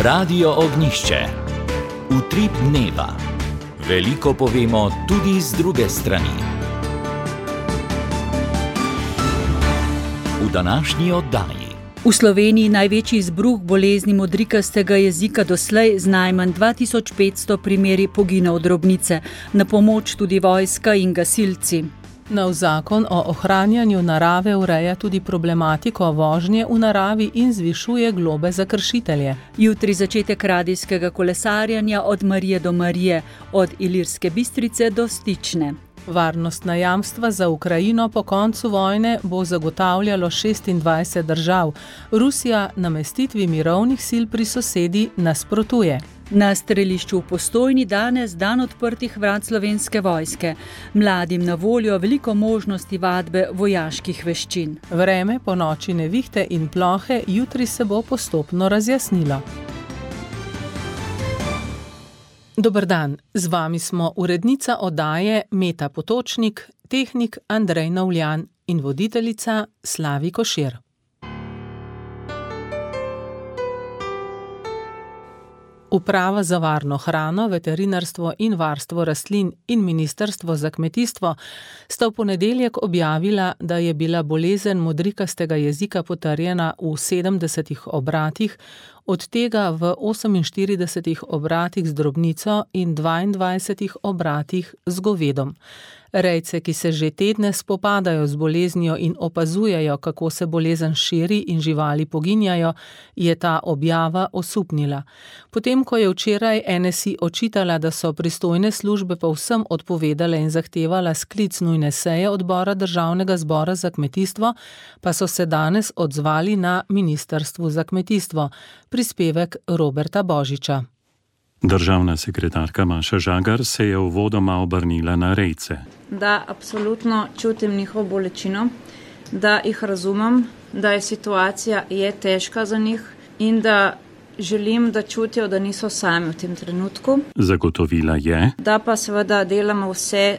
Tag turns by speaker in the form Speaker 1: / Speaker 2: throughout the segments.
Speaker 1: Radio Ognjišče. Utrip dneva. Veliko povemo tudi z druge strani. V današnji oddaji.
Speaker 2: V Sloveniji največji izbruh bolezni modrikastega jezika doslej z najmanj 2500 primeri poginov drobnice. Na pomoč tudi vojska in gasilci.
Speaker 3: Nov zakon o ohranjanju narave ureja tudi problematiko vožnje v naravi in zvišuje globe za kršitelje.
Speaker 2: Jutri začetek radijskega kolesarjanja od Marije do Marije, od Ilirske Bistrice do Stične.
Speaker 3: Varnostna jamstva za Ukrajino po koncu vojne bo zagotavljalo 26 držav. Rusija namestitvi mirovnih sil pri sosedi nasprotuje.
Speaker 2: Na strelišču v Postojni danes dan odprtih vrat Slovenske vojske. Mladim na voljo veliko možnosti vadbe vojaških veščin.
Speaker 3: Vreme po noči nevihte in plohe, jutri se bo postopno razjasnilo. Dober dan, z vami smo urednica oddaje Meta Potočnik, tehnik Andrej Novljan in voditeljica Slavi Košir. Uprava za varno hrano, veterinarstvo in varstvo rastlin in Ministrstvo za kmetijstvo sta v ponedeljek objavila, da je bila bolezen modrikastega jezika potrjena v 70 obratih, od tega v 48 obratih z drobnico in 22 obratih z govedom. Rejce, ki se že tedne spopadajo z boleznijo in opazujejo, kako se bolezen širi in živali poginjajo, je ta objava osupnila. Potem, ko je včeraj NSI očitala, da so pristojne službe povsem odpovedale in zahtevala sklic nujne seje odbora Državnega zbora za kmetijstvo, pa so se danes odzvali na Ministrstvu za kmetijstvo. Prispevek Roberta Božiča.
Speaker 4: Državna sekretarka Maša Žagar se je uvodoma obrnila na rejce.
Speaker 5: Da absolutno čutim njihovo bolečino, da jih razumem, da je situacija težka za njih in da želim, da čutijo, da niso sami v tem trenutku.
Speaker 4: Zagotovila je,
Speaker 5: da pa seveda delamo vse,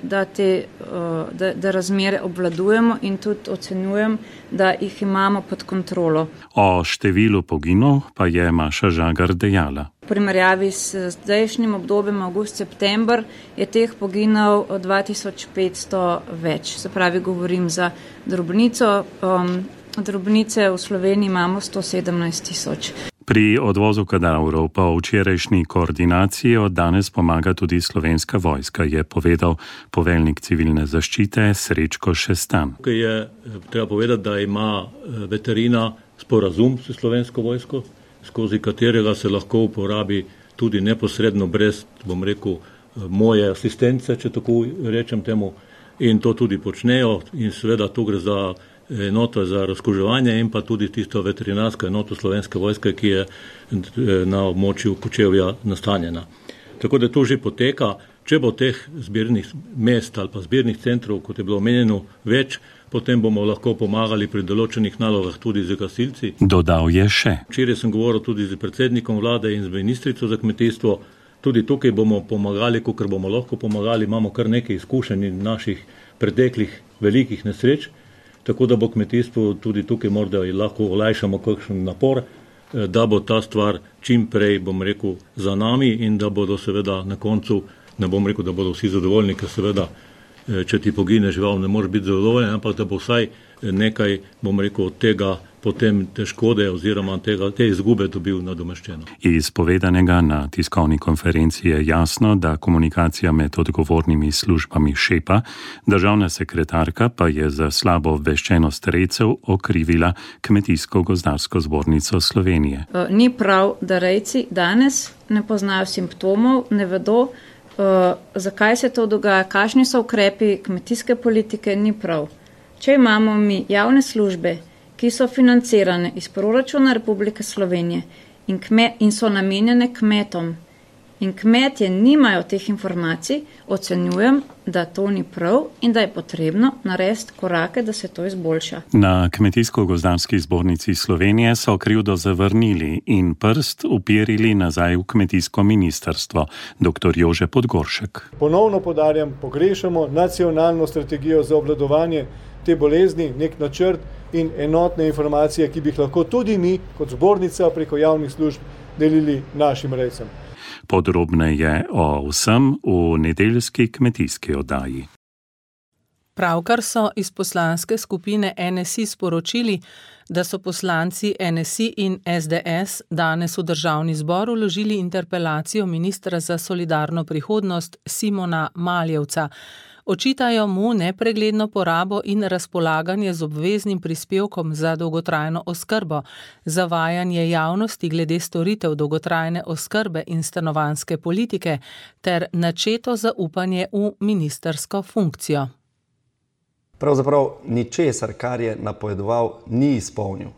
Speaker 5: da razmere obvladujemo in tudi ocenjujem, da jih imamo pod kontrolo.
Speaker 4: O številu poginov pa je Maša Žagar dejala.
Speaker 5: V primerjavi s zdajšnjim obdobjem avgust-september je teh poginov 2500 več. Se pravi, govorim za drobnico. Drobnice v Sloveniji imamo 117 000.
Speaker 4: Pri odvozu kadavrov pa v včerajšnji koordinaciji od danes pomaga tudi Slovenska vojska, je povedal poveljnik civilne zaščite Srečko Šestan.
Speaker 6: Tukaj je treba povedati, da ima veterina sporazum s Slovensko vojsko, skozi katerega se lahko uporabi tudi neposredno brez, moje asistence, če tako rečem temu, in to tudi počnejo in seveda tu gre za enoto za razkuževanje in pa tudi tisto veterinarsko enoto Slovenske vojske, ki je na območju Kočevja nastanjena. Tako da to že poteka. Če bo teh zbirnih mest ali pa zbirnih centrov, kot je bilo omenjeno, več, potem bomo lahko pomagali pri določenih nalogah tudi z gasilci.
Speaker 4: Dodal je še.
Speaker 6: Včeraj sem govoril tudi z predsednikom vlade in z ministrico za kmetijstvo. Tudi tukaj bomo pomagali, kolikor bomo lahko pomagali. Imamo kar nekaj izkušenj in naših preteklih velikih nesreč. Tako da bo kmetijstvo tudi tukaj morda lahko olajšamo kakšen napor, da bo ta stvar čim prej, za nami in da bodo seveda na koncu, ne bom rekel, da bodo vsi zadovoljni, ker seveda, če ti pogine žival, ne moreš biti zadovoljen, ampak da bo vsaj nekaj, od tega potem te škode oziroma te izgube dobil nadomeščeno.
Speaker 4: Iz povedanega na tiskovni konferenci je jasno, da komunikacija med odgovornimi službami šepa, državna sekretarka pa je za slabo obveščenost rejcev okrivila Kmetijsko-gozdarsko zbornico Slovenije.
Speaker 5: Ni prav, da rejci danes ne poznajo simptomov, ne vedo, zakaj se to dogaja, kakšni so ukrepi kmetijske politike, ni prav. Če imamo mi javne službe, ki so financirane iz proračuna Republike Slovenije in so namenjene kmetom, in kmetje nimajo teh informacij, ocenjujem, da to ni prav in da je potrebno narediti korake, da se to izboljša.
Speaker 4: Na Kmetijsko-gozdarski zbornici Slovenije so krivdo zavrnili in prst upirili nazaj v kmetijsko ministrstvo. Dr. Jože Podgoršek.
Speaker 7: Ponovno poudarjam, pogrešamo nacionalno strategijo za obvladovanje te bolezni, nek načrt in enotne informacije, ki bi jih lahko tudi mi, kot zbornica preko javnih služb, delili našim rejcem.
Speaker 4: Podrobneje o vsem v nedeljski kmetijski oddaji.
Speaker 3: Pravkar so iz poslanske skupine NSI sporočili, da so poslanci NSI in SDS danes v Državni zbor vložili interpelacijo ministra za solidarno prihodnost Simona Maljevca. Očitajo mu nepregledno porabo in razpolaganje z obveznim prispevkom za dolgotrajno oskrbo, zavajanje javnosti glede storitev dolgotrajne oskrbe in stanovanjske politike ter načeto zaupanje v ministrsko funkcijo.
Speaker 8: Pravzaprav ničesar, kar je napovedoval, ni izpolnil.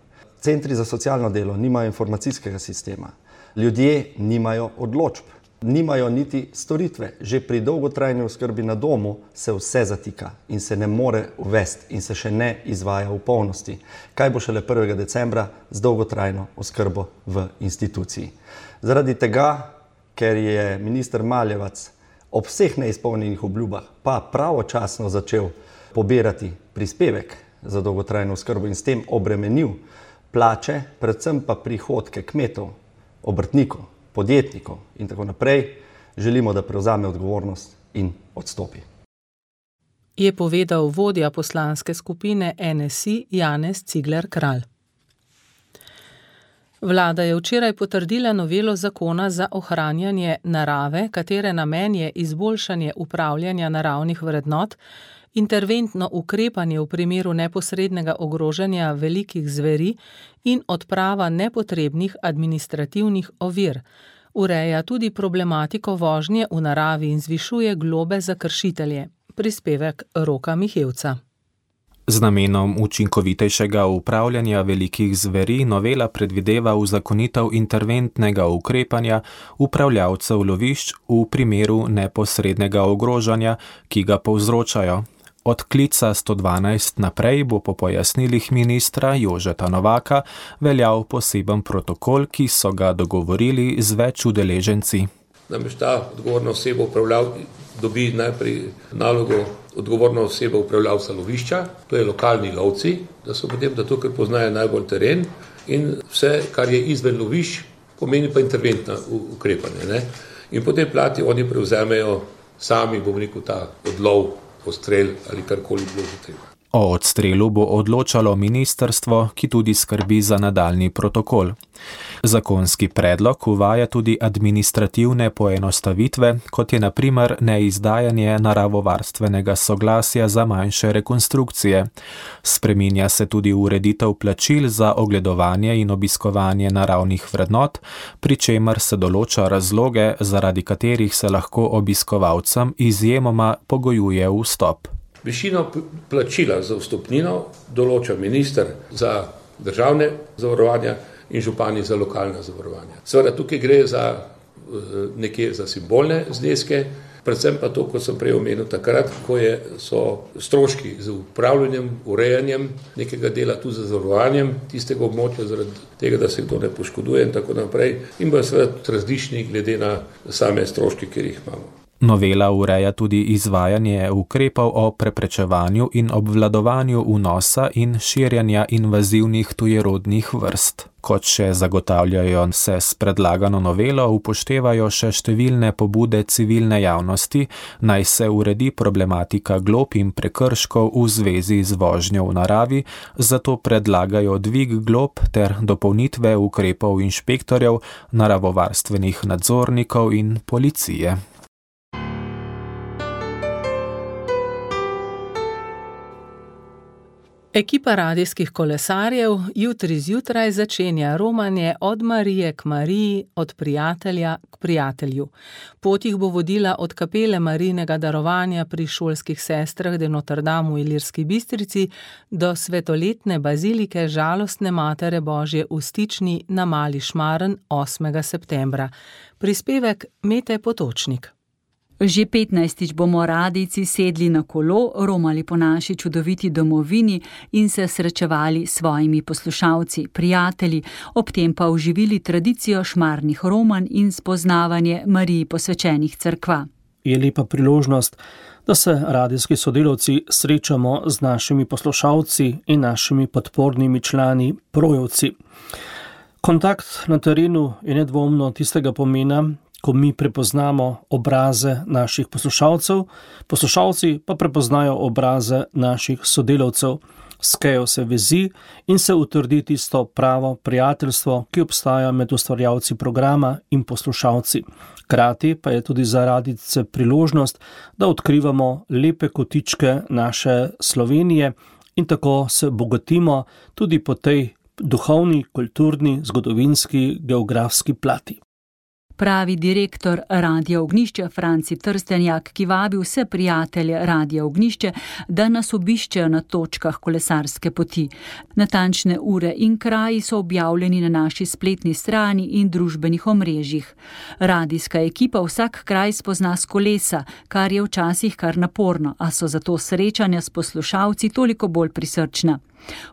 Speaker 8: Centri za socialno delo nimajo informacijskega sistema, ljudje nimajo odločb, nimajo niti storitve. Že pri dolgotrajni oskrbi na domu se vse zatika in se ne more uvesti in se še ne izvaja v polnosti. Kaj bo šele 1. decembra z dolgotrajno oskrbo v instituciji? Zaradi tega, ker je minister Maljevac ob vseh neizpolnjenih obljubah pa pravočasno začel pobirati prispevek za dolgotrajno oskrbo in s tem obremenil plače, predvsem pa prihodke kmetov, obrtnikov, podjetnikov in tako naprej, želimo, da prevzame odgovornost in odstopi.
Speaker 3: Je povedal vodja poslanske skupine NSI Janez Cigler Kralj. Vlada je včeraj potrdila novelo zakona za ohranjanje narave, katere namen je izboljšanje upravljanja naravnih vrednot, interventno ukrepanje v primeru neposrednega ogrožanja velikih zveri in odprava nepotrebnih administrativnih ovir. Ureja tudi problematiko vožnje v naravi in zvišuje globe za kršitelje. Prispevek Roka Mihevca.
Speaker 9: Z namenom učinkovitejšega upravljanja velikih zveri novela predvideva uzakonitev interventnega ukrepanja upravljavcev lovišč v primeru neposrednega ogrožanja, ki ga povzročajo. Od klica 112 naprej bo po pojasnilih ministra Jožeta Novaka veljal poseben protokol, ki so ga dogovorili z več udeleženci.
Speaker 10: Namreč ta odgovorna oseba dobi najprej nalogo odgovorna oseba upravljavca lovišča, to je lokalni lovci, da so potem, da to, ker poznajo najbolj teren in vse, kar je izven lovišč, pomeni pa interventna ukrepanje. Ne? In po tej plati oni prevzamejo sami, bom rekel, ta odlov, odstrel ali karkoli bilo že treba.
Speaker 9: O odstrelu bo odločalo ministrstvo, ki tudi skrbi za nadaljnji protokol. Zakonski predlog uvaja tudi administrativne poenostavitve, kot je na primer neizdajanje naravovarstvenega soglasja za manjše rekonstrukcije. Spreminja se tudi ureditev plačil za ogledovanje in obiskovanje naravnih vrednot, pri čemer se določa razloge, zaradi katerih se lahko obiskovalcem izjemoma pogojuje vstop.
Speaker 10: Višino plačila za vstopnino določa minister za državne zavarovanja in župani za lokalna zavarovanja. Seveda tukaj gre za nekje za simbolne zneske, predvsem pa to, kot sem prej omenil takrat, ko so stroški z upravljanjem, urejanjem nekega dela, tudi za zavarovanjem tistega območja, zaradi tega, da se kdo ne poškoduje in tako naprej, in bo seveda različni glede na same stroške, ki jih imamo.
Speaker 9: Novela ureja tudi izvajanje ukrepov o preprečevanju in obvladovanju vnosa in širjanja invazivnih tujerodnih vrst. Kot še zagotavljajo, se s predlagano novelo upoštevajo še številne pobude civilne javnosti, naj se uredi problematika glob in prekrškov v zvezi z vožnjo v naravi, zato predlagajo dvig glob ter dopolnitve ukrepov inšpektorjev, naravovarstvenih nadzornikov in policije.
Speaker 3: Ekipa radijskih kolesarjev jutri zjutraj začenja romanje od Marije k Mariji, od prijatelja k prijatelju. Pot jih bo vodila od kapele Marijinega darovanja pri šolskih sestrah de Notre Dame v Ilirski Bistrici do svetoletne bazilike Žalostne Matere Božje v Stični na Mali Šmaren 8. septembra. Prispevek Mete Potočnik.
Speaker 2: Že 15. bomo radijci sedli na kolo, romali po naši čudoviti domovini in se srečevali s svojimi poslušalci, prijatelji, ob tem pa oživili tradicijo šmarnih romanj in spoznavanje Mariji posvečenih cerkva.
Speaker 11: Je lepa priložnost, da se radijski sodelavci srečamo z našimi poslušalci in našimi podpornimi člani, projevci. Kontakt na terenu je nedvomno tistega pomena, ko mi prepoznamo obraze naših poslušalcev, poslušalci pa prepoznajo obraze naših sodelavcev. Skejo se vezi in se utrdi tisto pravo prijateljstvo, ki obstaja med ustvarjalci programa in poslušalci. Hkrati pa je tudi za radijce priložnost, da odkrivamo lepe kotičke naše Slovenije in tako se bogatimo tudi po tej duhovni, kulturni, zgodovinski, geografski plati.
Speaker 2: Pravi direktor Radia Ognjišče Franci Trstenjak, ki vabi vse prijatelje Radia Ognjišče, da nas obiščejo na točkah kolesarske poti. Natančne ure in kraji so objavljeni na naši spletni strani in družbenih omrežjih. Radijska ekipa vsak kraj spozna s kolesa, kar je včasih kar naporno, a so zato srečanja s poslušalci toliko bolj prisrčna.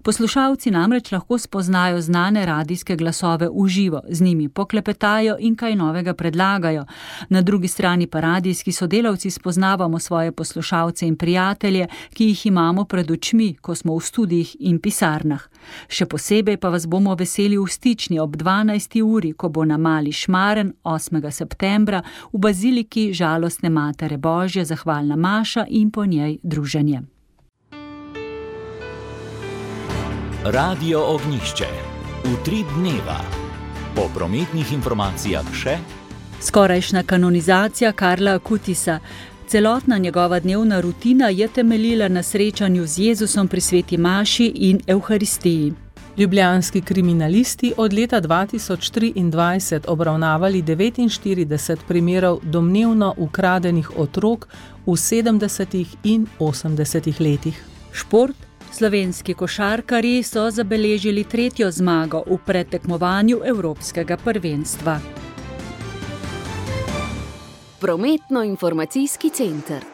Speaker 2: Poslušalci namreč lahko spoznajo znane radijske glasove v živo, z njimi poklepetajo in kaj novega predlagajo. Na drugi strani pa radijski sodelavci spoznavamo svoje poslušalce in prijatelje, ki jih imamo pred očmi, ko smo v studijih in pisarnah. Še posebej pa vas bomo veseli v Stični ob 12. uri, ko bo na Mali Šmaren 8. septembra v baziliki Žalostne Matere Božje zahvalna maša in po njej druženje.
Speaker 1: Radio Ognjišče. Utrip dneva. Po prometnih informacijah še
Speaker 2: skorajšnja kanonizacija Karla Akutisa. Celotna njegova dnevna rutina je temeljila na srečanju z Jezusom pri sveti maši in Evharistiji.
Speaker 3: Ljubljanski kriminalisti od leta 2023 obravnavali 49 primerov domnevno ukradenih otrok v 70. in 80. letih.
Speaker 2: Šport. Slovenski košarkarji so zabeležili 3. zmago v predtekmovanju Evropskega prvenstva.
Speaker 12: Prometno-informacijski center.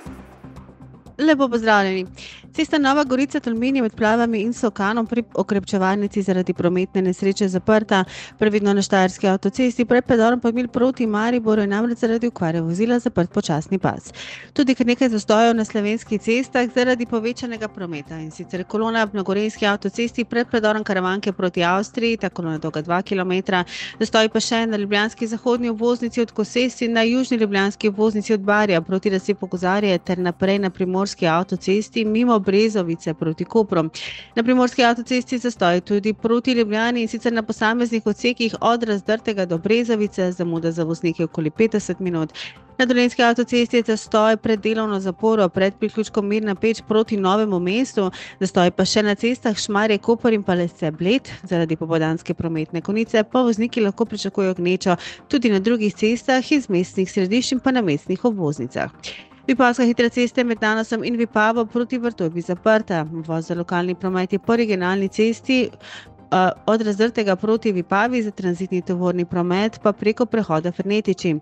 Speaker 13: Lepo pozdravljeni. Cesta Nova Gorica-Tolmin je med Plavami in Sokanom pri okrepčevalnici zaradi prometne nesreče zaprta. Previdno na Štajerski avtocesti pred predorom Podmilj proti Mariboru je namreč zaradi okvare vozila zaprt počasni pas. Tudi kar nekaj zastojev na slovenskih cestah zaradi povečanega prometa. In sicer kolona na Gorenjski avtocesti pred predorom Karavanke proti Avstriji, ta kolona dolga 2 km, zastoji pa še na ljubljanski zahodni obvoznici od Kosesti, na južni ljubljanski obvoznici od Barja proti razcepu Kozarje ter naprej na Primorski avtocesti mimo Brezovice proti Kopru. Na Primorski avtocesti zastoj tudi proti Ljubljani in sicer na posameznih odsekih od Razdrtega do Brezovice, zamuda za voznike okoli 50 minut. Na Dolenjski avtocesti je zastoj pred delovno zaporo pred priključkom Mirna Peč proti Novemu mestu, zastoj pa še na cestah Šmarje, Koper in Palesce Bled. Zaradi popoldanske prometne konice pa vozniki lahko pričakujejo gnečo tudi na drugih cestah iz mestnih središč in pa na mestnih obvoznicah. Vipavska hitra cesta med Nanosom in Vipavo proti Vrtojbi zaprta. Voz za lokalni promet je po regionalni cesti od Razdrtega proti Vipavi, za tranzitni tovorni promet pa preko prehoda Fernetiči.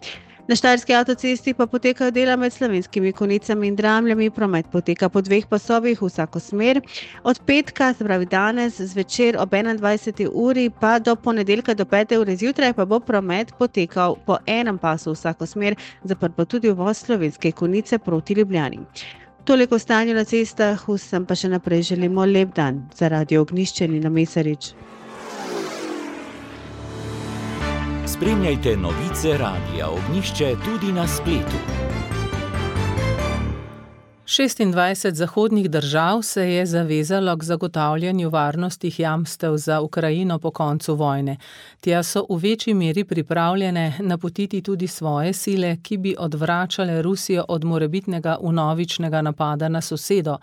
Speaker 13: Na Štajerski avtocesti pa potekajo dela med Slovenskimi Konjicami in Dramljami, promet poteka po 2 pasovih v vsako smer. Od petka, se pravi danes, zvečer ob 21. uri pa do ponedeljka do 5. ure zjutraj pa bo promet potekal po enem pasu v vsako smer, zaprt pa tudi uvoz Slovenske Konjice proti Ljubljani. Toliko o stanju na cestah, vsem pa še naprej želimo lep dan. Za Radio Ognjišče Nina Mesarič.
Speaker 1: Spremljajte novice Radia Ognjišče tudi na spletu.
Speaker 3: 26 zahodnih držav se je zavezalo k zagotavljanju varnostnih jamstev za Ukrajino po koncu vojne. Tja so v večji meri pripravljene napotiti tudi svoje sile, ki bi odvračale Rusijo od morebitnega vnovičnega napada na sosedo.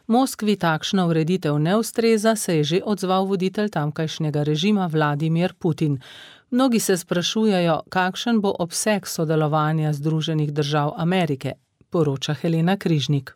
Speaker 3: Moskvi takšna ureditev ne ustreza, se je že odzval voditelj tamkajšnjega režima Vladimir Putin. Mnogi se sprašujejo, kakšen bo obseg sodelovanja Združenih držav Amerike, poroča Helena Križnik.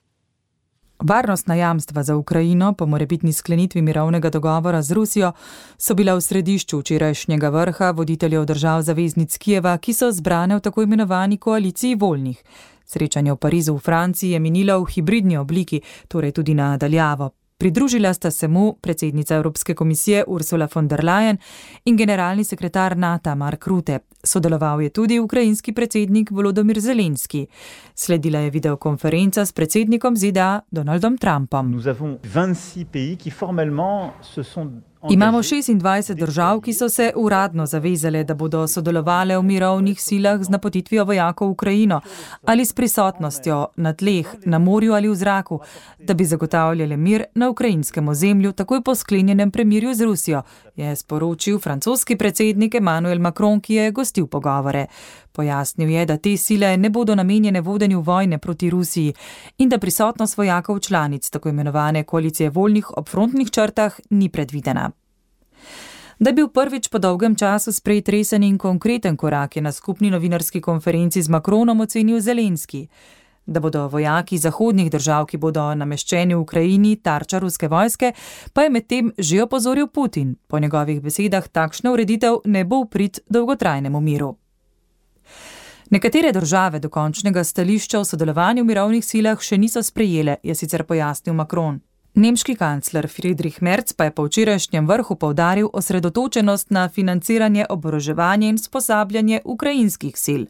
Speaker 14: Varnostna jamstva za Ukrajino po morebitni sklenitvi mirovnega dogovora z Rusijo so bila v središču včerajšnjega vrha voditeljev držav zaveznic Kijeva, ki so zbrane v tako imenovani koaliciji voljnih. Srečanje v Parizu v Franciji je minilo v hibridni obliki, torej tudi na daljavo. Pridružila sta se mu predsednica Evropske komisije Ursula von der Leyen in generalni sekretar NATO Mark Rutte. Sodeloval je tudi ukrajinski predsednik Volodymyr Zelenski. Sledila je videokonferenca s predsednikom ZDA Donaldom Trumpom.
Speaker 15: Nous avons 26 pays qui formellement se sont
Speaker 14: Imamo 26 držav, ki so se uradno zavezale, da bodo sodelovale v mirovnih silah z napotitvijo vojakov v Ukrajino ali s prisotnostjo na tleh, na morju ali v zraku, da bi zagotavljali mir na ukrajinskem ozemlju takoj po sklenjenem premirju z Rusijo, je sporočil francoski predsednik Emmanuel Macron, ki je gostil pogovore. Pojasnil je, da te sile ne bodo namenjene vodenju vojne proti Rusiji in da prisotnost vojakov članic tako imenovane koalicije voljnih ob frontnih črtah ni predvidena. Da je bil prvič po dolgem času sprejet resen in konkreten korak, je na skupni novinarski konferenci z Macronom ocenil Zelenski. Da bodo vojaki zahodnih držav, ki bodo nameščeni v Ukrajini, tarča ruske vojske, pa je medtem že opozoril Putin. Po njegovih besedah takšna ureditev ne bo v prid dolgotrajnemu miru. Nekatere države dokončnega stališča o sodelovanju v mirovnih silah še niso sprejele, je sicer pojasnil Macron. Nemški kancler Friedrich Merz pa je po včerajšnjem vrhu poudaril osredotočenost na financiranje, oboroževanje in usposabljanje ukrajinskih sil.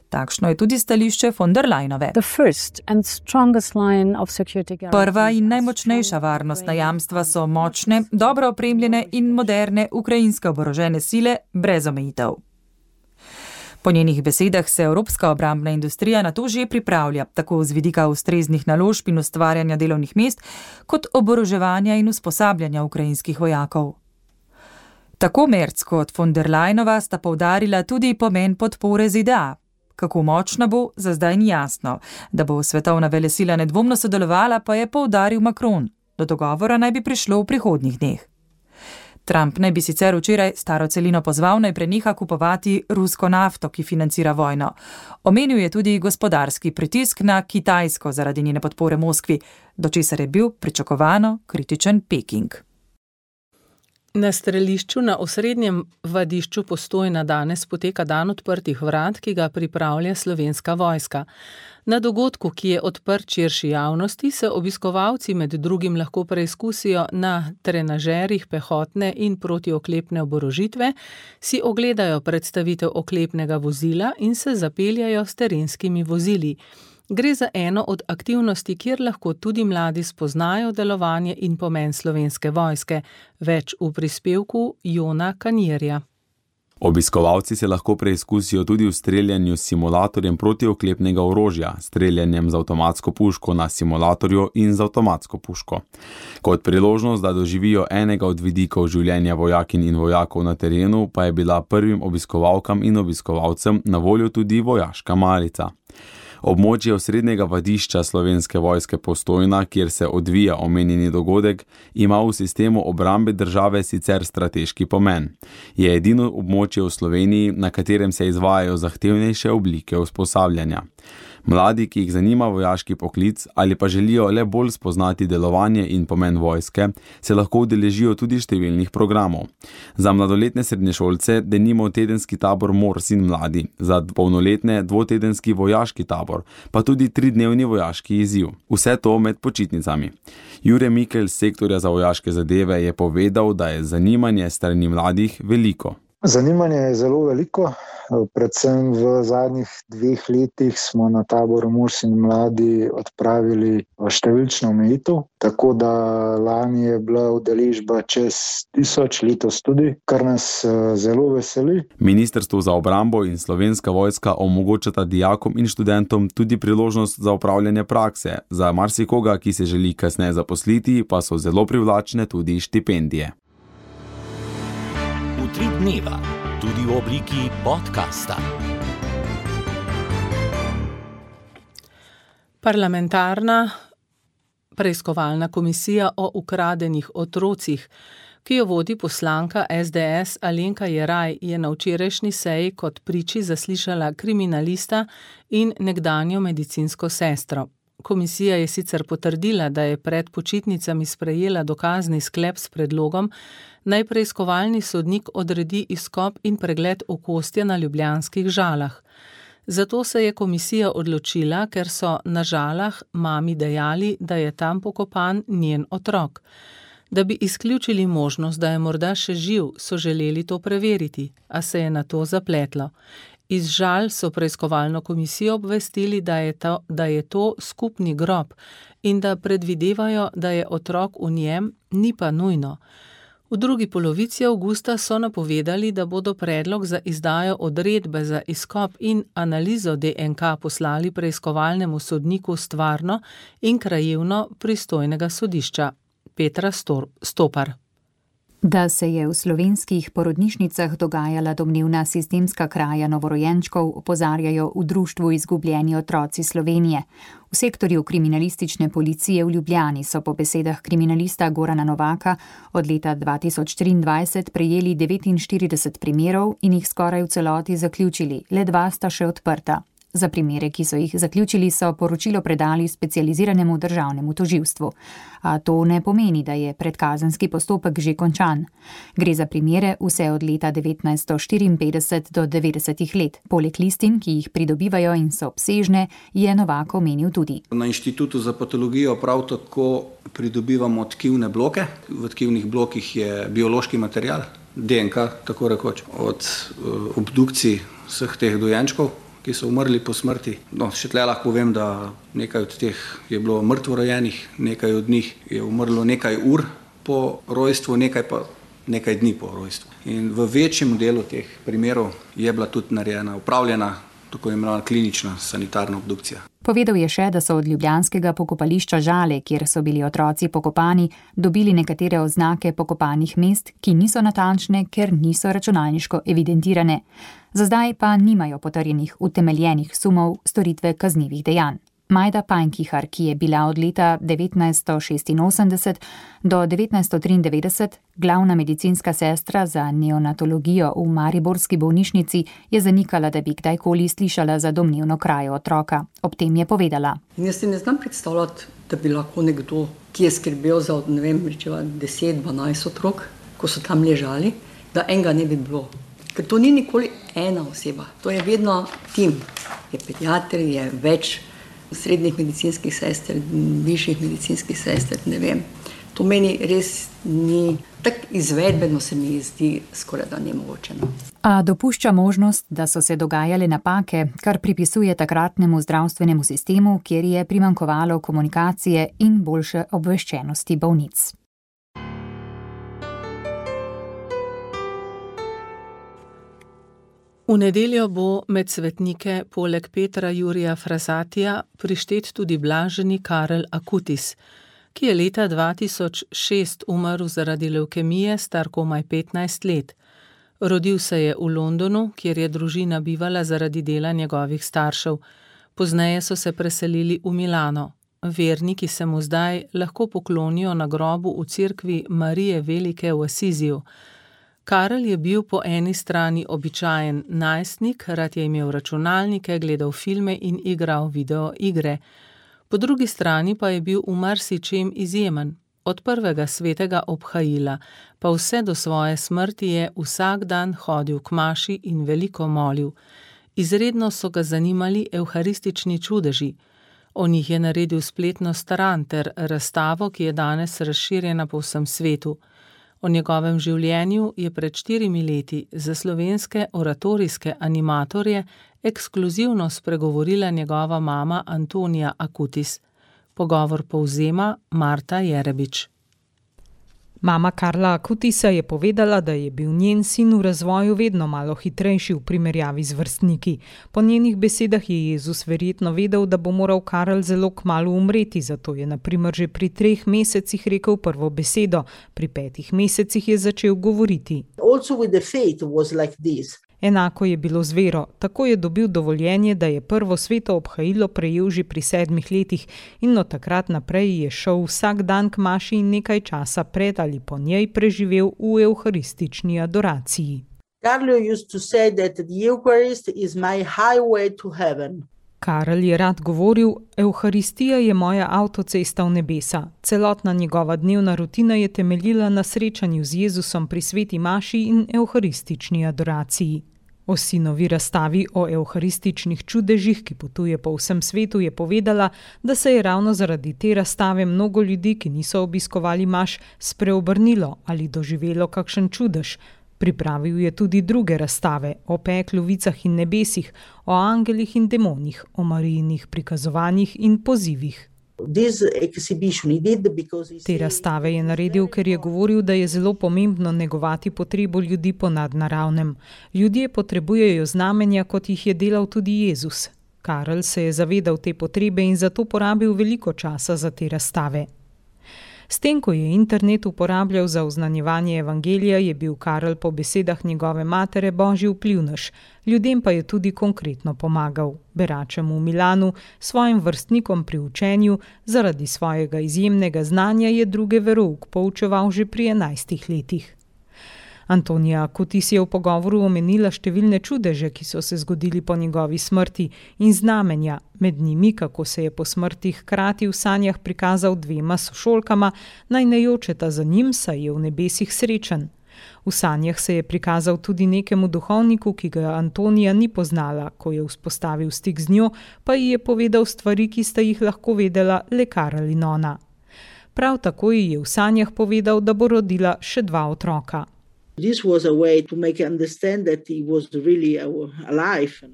Speaker 14: Takšno je tudi stališče von der Leyenove. Prva in najmočnejša varnostna jamstva so močne, dobro opremljene in moderne ukrajinske oborožene sile brez omejitev. Po njenih besedah se evropska obrambna industrija na to že pripravlja, tako z vidika ustreznih naložb in ustvarjanja delovnih mest, kot oboroževanja in usposabljanja ukrajinskih vojakov. Tako Merz kot von der Leyenova sta poudarila tudi pomen podpore ZDA. Kako močna bo, za zdaj ni jasno. Da bo svetovna velesila nedvomno sodelovala, pa je poudaril Macron. Do dogovora naj bi prišlo v prihodnjih dneh. Trump naj bi sicer včeraj staro celino pozval, naj preneha kupovati rusko nafto, ki financira vojno. Omenil je tudi gospodarski pritisk na Kitajsko zaradi njene podpore Moskvi, do česar je bil pričakovano kritičen Peking.
Speaker 3: Na strelišču na osrednjem vadišču Postojna danes poteka dan odprtih vrat, ki ga pripravlja Slovenska vojska. Na dogodku, ki je odprt širši javnosti, se obiskovalci med drugim lahko preizkusijo na trenažerjih pehotne in protioklepne oborožitve, si ogledajo predstavitev oklepnega vozila in se zapeljajo s terenskimi vozili. Gre za eno od aktivnosti, kjer lahko tudi mladi spoznajo delovanje in pomen Slovenske vojske. Več v prispevku Jona Kanjerja.
Speaker 12: Obiskovalci se lahko preizkusijo tudi v streljanju s simulatorjem protioklepnega orožja, streljanjem z avtomatsko puško na simulatorju in z avtomatsko puško. Kot priložnost, da doživijo enega od vidikov življenja vojakinj in vojakov na terenu, pa je bila prvim obiskovalkam in obiskovalcem na voljo tudi vojaška malica. Območje osrednjega vadišča Slovenske vojske Postojna, kjer se odvija omenjeni dogodek, ima v sistemu obrambe države sicer strateški pomen. Je edino območje v Sloveniji, na katerem se izvajajo zahtevnejše oblike usposabljanja. Mladi, ki jih zanima vojaški poklic ali pa želijo le bolj spoznati delovanje in pomen vojske, se lahko udeležijo tudi številnih programov. Za mladoletne srednješolce denimo tedenski tabor Mors in mladi, za polnoletne dvotedenski vojaški tabor, pa tudi 3-dnevni vojaški izziv. Vse to med počitnicami. Jure Mikel z sektorja za vojaške zadeve je povedal, da je zanimanje strani mladih veliko.
Speaker 15: Zanimanje je zelo veliko, predvsem v zadnjih 2 letih smo na taboru Mors in mladi odpravili številčno omejitev, tako da lani je bila udeležba čez 1000, letos tudi, kar nas zelo veseli.
Speaker 12: Ministrstvo za obrambo in Slovenska vojska omogočata dijakom in študentom tudi priložnost za opravljanje prakse. Za marsikoga, ki se želi kasneje zaposliti, pa so zelo privlačne tudi štipendije.
Speaker 1: Utrip dneva, tudi v obliki podcasta.
Speaker 3: Parlamentarna preiskovalna komisija o ukradenih otrocih, ki jo vodi poslanka SDS Alenka Jeraj, je na včerajšnji seji kot priči zaslišala kriminalista in nekdanjo medicinsko sestro. Komisija je sicer potrdila, da je pred počitnicami sprejela dokazni sklep s predlogom, naj preiskovalni sodnik odredi izkop in pregled okostja na ljubljanskih Žalah. Zato se je komisija odločila, ker so na Žalah mami dejali, da je tam pokopan njen otrok. Da bi izključili možnost, da je morda še živ, so želeli to preveriti, a se je na to zapletlo. Iz Žal so preiskovalno komisijo obvestili, da je to skupni grob in da predvidevajo, da je otrok v njem, ni pa nujno. V drugi polovici avgusta so napovedali, da bodo predlog za izdajo odredbe za izkop in analizo DNK poslali preiskovalnemu sodniku stvarno in krajevno pristojnega sodišča. Petra Stopar.
Speaker 16: Da se je v slovenskih porodnišnicah dogajala domnevna sistemska kraja novorojenčkov, opozarjajo v društvu Izgubljeni otroci Slovenije. V sektorju kriminalistične policije v Ljubljani so po besedah kriminalista Gorana Novaka od leta 2023 prejeli 49 primerov in jih skoraj v celoti zaključili, le 2 sta še odprta. Za primere, ki so jih zaključili, so poročilo predali specializiranemu državnemu tožilstvu. A to ne pomeni, da je predkazenski postopek že končan. Gre za primere vse od leta 1954 do 90 let. Poleg listin, ki jih pridobivajo in so obsežne, je Novak omenil tudi.
Speaker 17: Na Inštitutu za patologijo prav tako pridobivamo tkivne bloke. V tkivnih blokih je biološki material, DNK, tako rekoč, od obdukcij vseh teh dojenčkov, ki so umrli po smrti. Še tle lahko povem, da nekaj od teh je bilo mrtvorojenih, nekaj od njih je umrlo nekaj ur po rojstvu, nekaj pa nekaj dni po rojstvu. In v večjem delu teh primerov je bila tudi upravljena tako imenovana klinična sanitarna obdukcija.
Speaker 16: Povedal je še, da so od ljubljanskega pokopališča Žale, kjer so bili otroci pokopani, dobili nekatere oznake pokopanih mest, ki niso natančne, ker niso računalniško evidentirane. Za zdaj pa nimajo potrjenih utemeljenih sumov storitve kaznivih dejanj. Majda Pajnkihar, ki je bila od leta 1986 do 1993 glavna medicinska sestra za neonatologijo v mariborski bolnišnici, je zanikala, da bi kdajkoli slišala za domnevno krajo otroka. Ob tem je povedala.
Speaker 18: Jaz si ne znam predstavljati, da bi lahko nekdo, ki je skrbel za 10-12 otrok, ko so tam ležali, da enega ne bi bilo. Ker to ni nikoli ena oseba, to je vedno tim. Je pediater, je več srednjih medicinskih sester, višjih medicinskih sester, ne vem. To meni res ni, tak izvedbeno se mi zdi skoraj da nemogoče.
Speaker 16: A dopušča možnost, da so se dogajale napake, kar pripisuje takratnemu zdravstvenemu sistemu, kjer je primanjkovalo komunikacije in boljše obveščenosti bolnic.
Speaker 3: V nedeljo bo med svetnike poleg Petra Jurija Frasatija prištet tudi blaženi Karel Akutis, ki je leta 2006 umrl zaradi levkemije, star komaj 15 let. Rodil se je v Londonu, kjer je družina bivala zaradi dela njegovih staršev. Pozneje so se preselili v Milano. Verniki se mu zdaj lahko poklonijo na grobu v cerkvi Marije Velike v Asiziju. Karel je bil po eni strani običajen najstnik, rad je imel računalnike, gledal filme in igral videoigre. Po drugi strani pa je bil v marsičem izjemen. Od prvega svetega obhajila pa vse do svoje smrti je vsak dan hodil k maši in veliko molil. Izredno so ga zanimali evharistični čudeži. O njih je naredil spletno stran ter razstavo, ki je danes razširjena po vsem svetu. O njegovem življenju je pred 4 leti za slovenske oratorijske animatorje ekskluzivno spregovorila njegova mama Antonija Akutis. Pogovor povzema Marta Jerebič.
Speaker 19: Mama Karla Akutisa je povedala, da je bil njen sin v razvoju vedno malo hitrejši v primerjavi z vrstniki. Po njenih besedah je Jezus verjetno vedel, da bo moral Karel zelo kmalu umreti, zato je na primer že pri 3 mesecih rekel prvo besedo, pri 5 mesecih je začel govoriti.
Speaker 20: Also with the faith was like this.
Speaker 19: Enako je bilo z vero, tako je dobil dovoljenje, da je prvo sveto obhajilo prejel že pri 7 letih in od takrat naprej je šel vsak dan k maši in nekaj časa pred ali po njej preživel v evharistični adoraciji.
Speaker 20: Carlo used to say that the Eucharist is my highway to heaven.
Speaker 19: Karel je rad govoril, evharistija je moja avtocesta v nebesa. Celotna njegova dnevna rutina je temeljila na srečanju z Jezusom pri sveti maši in evharistični adoraciji. O sinovi razstavi o evharističnih čudežih, ki potuje po vsem svetu, je povedala, da se je ravno zaradi te razstave mnogo ljudi, ki niso obiskovali maš, spreobrnilo ali doživelo kakšen čudež. Pripravil je tudi druge razstave o peklu, vicah in nebesih, o angelih in demonih, o Marijinih prikazovanjih in pozivih. Te razstave je naredil, ker je govoril, da je zelo pomembno negovati potrebo ljudi po nadnaravnem. Ljudje potrebujejo znamenja, kot jih je delal tudi Jezus. Karel se je zavedal te potrebe in zato porabil veliko časa za te razstave. S tem, ko je internet uporabljal za oznanjevanje evangelija, je bil Karel po besedah njegove matere božji vplivnež, ljudem pa je tudi konkretno pomagal. Beračem v Milanu, svojim vrstnikom pri učenju, zaradi svojega izjemnega znanja je druge verouk poučeval že pri 11 letih. Antonija Kutis je v pogovoru omenila številne čudeže, ki so se zgodili po njegovi smrti in znamenja, med njimi, kako se je po smrti hkrati v sanjah prikazal 2 sošolkama, naj ne jočeta za njim, saj je v nebesih srečen. V sanjah se je prikazal tudi nekemu duhovniku, ki ga Antonija ni poznala, ko je vzpostavil stik z njo, pa ji je povedal stvari, ki sta jih lahko vedela le Karel in ona. Prav tako ji je v sanjah povedal, da bo rodila še 2 otroka.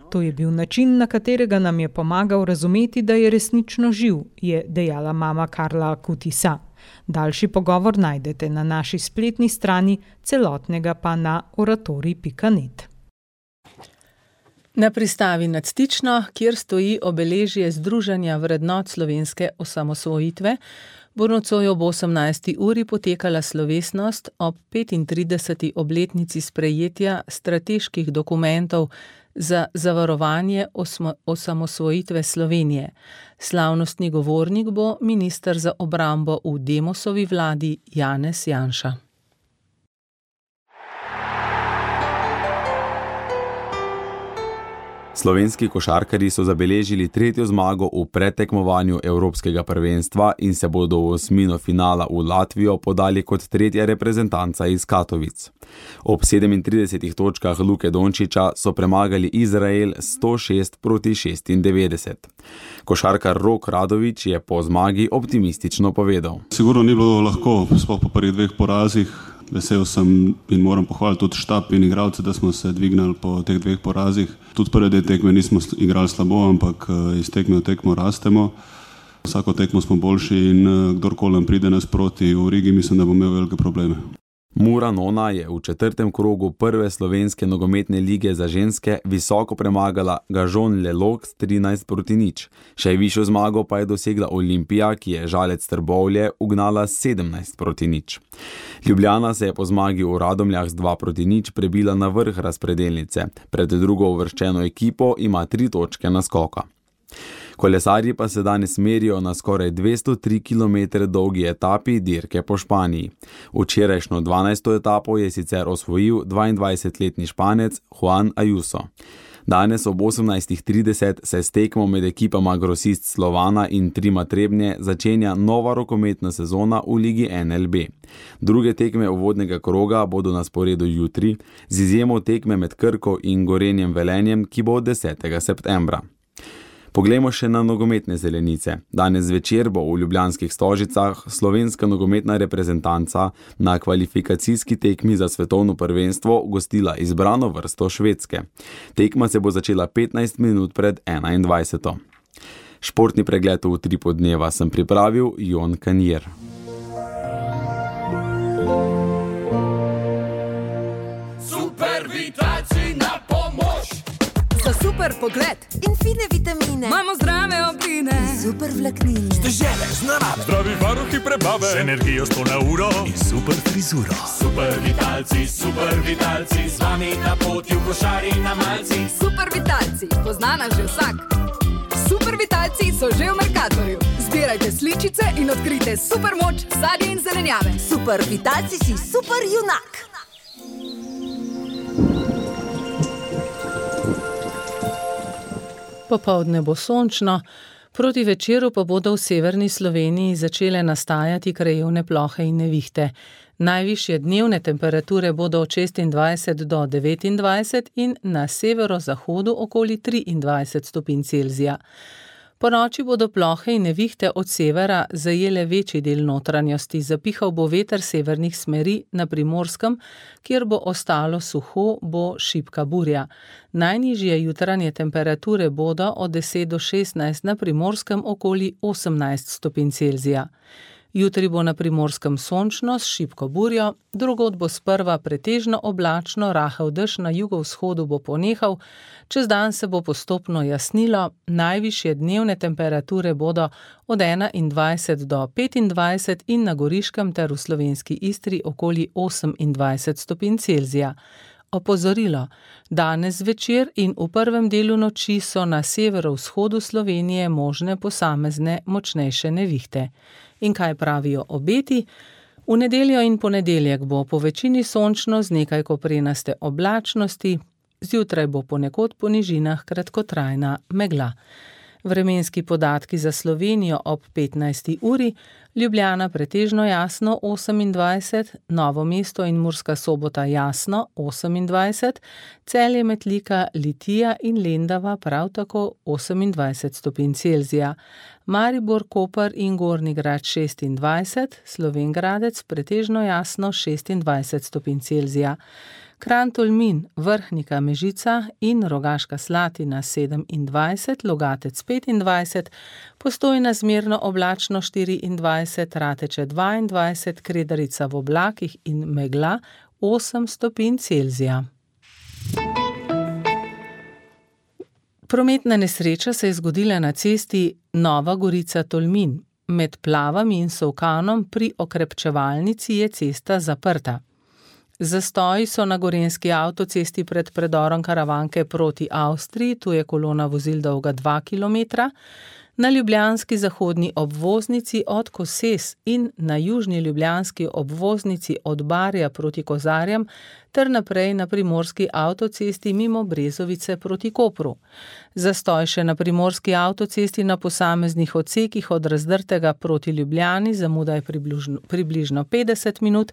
Speaker 19: To je bil način, na katerega nam je pomagal razumeti, da je resnično živ, je dejala mama Karla Kutisa. Daljši pogovor najdete na naši spletni strani, celotnega pa na oratorij.net.
Speaker 3: Na pristavi nad Stično, kjer stoji obeležje Združenja vrednot slovenske osamosvojitve, bo nocoj ob 18. uri potekala slovesnost ob 35. obletnici sprejetja strateških dokumentov za zavarovanje osamosvojitve Slovenije. Slavnostni govornik bo minister za obrambo v Demosovi vladi Janez Janša.
Speaker 12: Slovenski košarkarji so zabeležili 3. zmago v predtekmovanju Evropskega prvenstva in se bodo v osmino finala v Latvijo podali kot 3. reprezentanca iz Katovic. Ob 37 točkah Luke Dončića so premagali Izrael 106-96. Košarkar Rok Radović je po zmagi optimistično povedal.
Speaker 21: Sigurno ni bilo lahko, sploh po prvih 2 porazih. Vesel sem in moram pohvaliti tudi štab in igralce, da smo se dvignili po teh 2 porazih. Tudi prve 2 tekme nismo igrali slabo, ampak iz tekme v tekmo rastemo. Vsako tekmo smo boljši in kdorkoli nam pride nasproti v Rigi, mislim, da bo imel velike probleme.
Speaker 12: Mura Nona je v 4. krogu prve slovenske nogometne lige za ženske visoko premagala Gažon Lelog s 13-0. Še višjo zmago pa je dosegla Olimpija, ki je Žalec Trbovlje ugnala 17-0. Ljubljana se je po zmagi v Radomljah z 2-0 prebila na vrh razpredelnice. Pred drugo uvrščeno ekipo ima 3 točke naskoka. Kolesarji pa se danes merijo na skoraj 203 km dolgi etapi dirke po Španiji. Včerajšnjo 12. etapo je sicer osvojil 22-letni Španec Juan Ayuso. Danes ob 18:30 se s tekmo med ekipama Grosist Slovana in Trima Trebnje začenja nova rokometna sezona v ligi NLB. Druge tekme uvodnega kroga bodo na sporedu jutri, z izjemo tekme med Krko in Gorenjem Velenjem, ki bo 10. septembra. Poglejmo še na nogometne zelenice. Danes zvečer bo v ljubljanskih Stožicah slovenska nogometna reprezentanca na kvalifikacijski tekmi za svetovno prvenstvo gostila izbrano vrsto Švedske. Tekma se bo začela 15 minut pred 21. Športni pregled v Utripu dneva sem pripravil Jon Kanjer.
Speaker 22: Super pogled in fine vitamine. Imamo zdrave obline, super vlaknine.
Speaker 23: Stežele z narave, zdravi varuhi prebave, z energijo 100 na uro in super frizuro. Super vitalci, z vami na poti v košari na malci.
Speaker 22: Super vitalci, poznana že vsak. Super vitalci so že v Mercatorju. Zbirajte sličice in odkrite super moč sadja in zelenjave. Super vitalci si super junak.
Speaker 3: Popoldne bo sončno, proti večeru pa bodo v severni Sloveniji začele nastajati krajevne plohe in nevihte. Najvišje dnevne temperature bodo od 26 do 29 in na severozahodu okoli 23 stopinj Celzija. Po noči bodo plohe in nevihte od severa zajele večji del notranjosti, zapihal bo veter severnih smeri na Primorskem, kjer bo ostalo suho, bo šibka burja. Najnižje jutranje temperature bodo od 10 do 16, na Primorskem okoli 18 stopinj Celzija. Jutri bo na Primorskem sončno s šibko burjo, drugod bo sprva pretežno oblačno, rahel dež na jugovzhodu bo ponehal, čez dan se bo postopno jasnilo, najvišje dnevne temperature bodo od 21 do 25 in na Goriškem ter v slovenski Istri okoli 28 stopinj Celzija. Opozorilo, danes zvečer in v prvem delu noči so na severovzhodu Slovenije možne posamezne močnejše nevihte. In kaj pravijo obeti? V nedeljo in ponedeljek bo po večini sončno z nekaj koprenaste oblačnosti, zjutraj bo ponekod po nižinah kratkotrajna megla. Vremenski podatki za Slovenijo ob 15. uri, Ljubljana pretežno jasno 28, Novo mesto in Murska Sobota jasno 28, Celje, Metlika, Litija in Lendava prav tako 28 stopinj Celzija, Maribor, Koper in Gornji Grad 26, Slovenj Gradec pretežno jasno 26 stopinj Celzija. Kranj, Tolmin, Vrhnika, Mežica in Rogaška Slatina 27, Logatec 25, Postojna zmerno oblačno 24, Rateče 22, Kredarica v oblakih in megla 8 stopinj Celzija. Prometna nesreča se je zgodila na cesti Nova Gorica-Tolmin. Med Plavami in Solkanom pri okrepčevalnici je cesta zaprta. Zastoji so na gorenjski avtocesti pred predorom Karavanke proti Avstriji, tu je kolona vozil dolga 2 km, na ljubljanski zahodni obvoznici od Koses in na južni ljubljanski obvoznici od Barja proti Kozarjem ter naprej na primorski avtocesti mimo Brezovice proti Kopru. Zastoj še na primorski avtocesti na posameznih odsekih od Razdrtega proti Ljubljani, zamuda je približno 50 minut.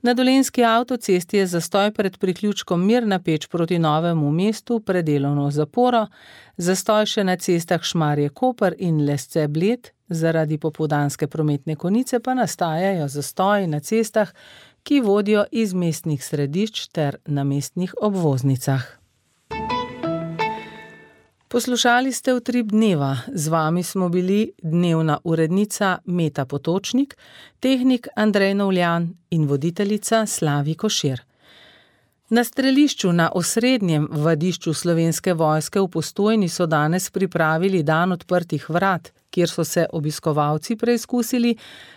Speaker 3: Na Dolenjski avtocesti je zastoj pred priključkom Mirna Peč proti Novemu mestu pred delovno zaporo, zastoj še na cestah Šmarje-Koper in Lesce-Bled, zaradi popoldanske prometne konice pa nastajajo zastoji na cestah, ki vodijo iz mestnih središč ter na mestnih obvoznicah. Poslušali ste Utrip dneva, z vami smo bili dnevna urednica Meta Potočnik, tehnik Andrej Novljan in voditeljica Slavi Košir. Na strelišču na osrednjem vadišču Slovenske vojske v Postojni so danes pripravili dan odprtih vrat, kjer so se obiskovalci preizkusili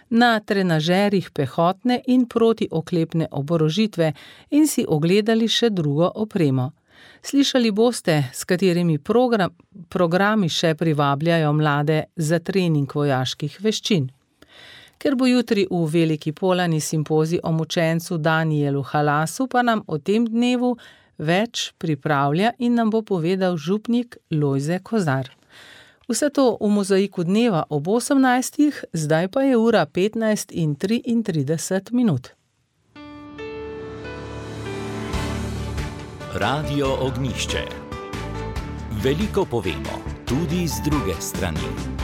Speaker 3: na trenažerjih pehotne in protioklepne oborožitve in si ogledali še drugo opremo. Slišali boste, s katerimi programi še privabljajo mlade za trening vojaških veščin. Ker bo jutri v Veliki Polani simpozij o mučencu Danijelu Halasu, pa nam o tem dnevu več pripravlja in nam bo povedal župnik Lojze Kozar. Vse to v mozaiku dneva ob 18, zdaj pa je ura 15:33.
Speaker 1: Radio Ognjišče. Veliko povemo, tudi z druge strani.